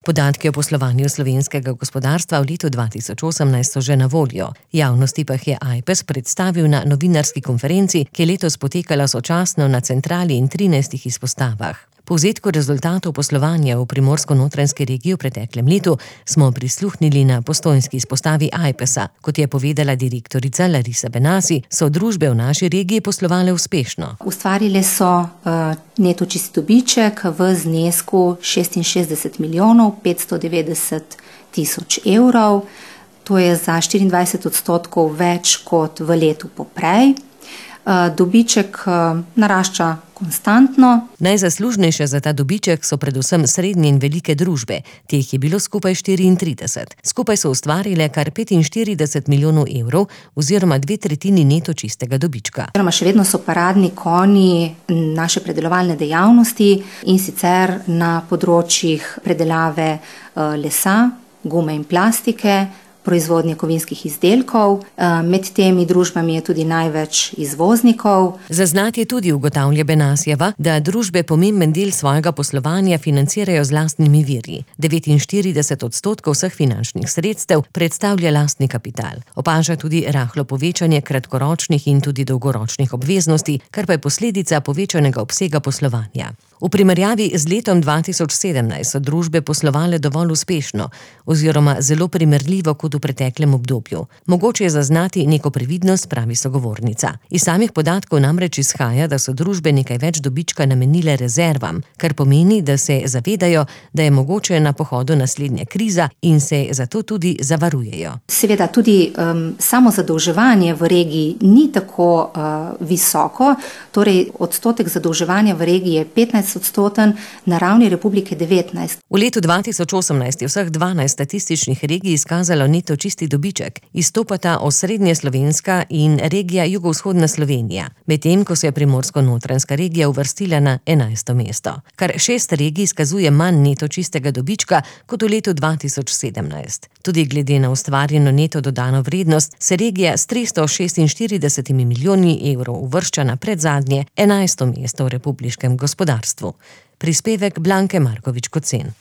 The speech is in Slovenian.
Podatki o poslovanju slovenskega gospodarstva v letu 2018 so že na voljo. Javnosti pa jih je Ajpes predstavil na novinarski konferenci, ki je letos potekala sočasno na centrali in 13 izpostavah. Povzetku rezultatov poslovanja v Primorsko-notranjski regiji v preteklem letu smo prisluhnili na postojnski izpostavi Ajpesa. Kot je povedala direktorica Larisa Benasi, so družbe v naši regiji poslovale uspešno. Ustvarile so neto čisti dobiček v znesku 66 milijonov 590 tisoč evrov. To je za 24% več kot v letu poprej. Dobiček narašča konstantno. Najzaslužnejše za ta dobiček so predvsem srednje in velike družbe. Teh je bilo skupaj 34. Skupaj so ustvarile kar 45 milijonov evrov oziroma 2/3 neto čistega dobička. Še vedno so paradni konji naše predelovalne dejavnosti, in sicer na področjih predelave lesa, gume in plastike, proizvodnje kovinskih izdelkov. Med temi družbami je tudi največ izvoznikov. Zaznati je tudi, ugotavlja Benasjeva, da družbe pomemben del svojega poslovanja financirajo z lastnimi viri. 49% vseh finančnih sredstev predstavlja lastni kapital. Opaža tudi rahlo povečanje kratkoročnih in tudi dolgoročnih obveznosti, kar pa je posledica povečanega obsega poslovanja. V primerjavi z letom 2017 so družbe poslovale dovolj uspešno oziroma zelo primerljivo kot v preteklem obdobju. Mogoče je zaznati neko previdnost, pravi sogovornica. Iz samih podatkov namreč izhaja, da so družbe nekaj več dobička namenile rezervam, kar pomeni, da se zavedajo, da je mogoče na pohodu naslednja kriza in se zato tudi zavarujejo. Seveda tudi samo zadolževanje v regiji ni tako visoko, torej odstotek zadolževanja v regiji je 15%, na ravni Republike 19%. V letu 2018 je vseh 12 statističnih regij izkazalo neto čisti dobiček. Izstopata osrednje slovenska in regija jugovzhodna Slovenija, medtem ko se je Primorsko-notranjska regija uvrstila na 11. mesto. Kar 6 regij izkazuje manj neto čistega dobička kot v letu 2017. Tudi glede na ustvarjeno neto dodano vrednost se regija s 346 milijoni evrov uvršča na predzadnje 11. mesto v republiškem gospodarstvu. Prispevek Blanke Markovič Kocen.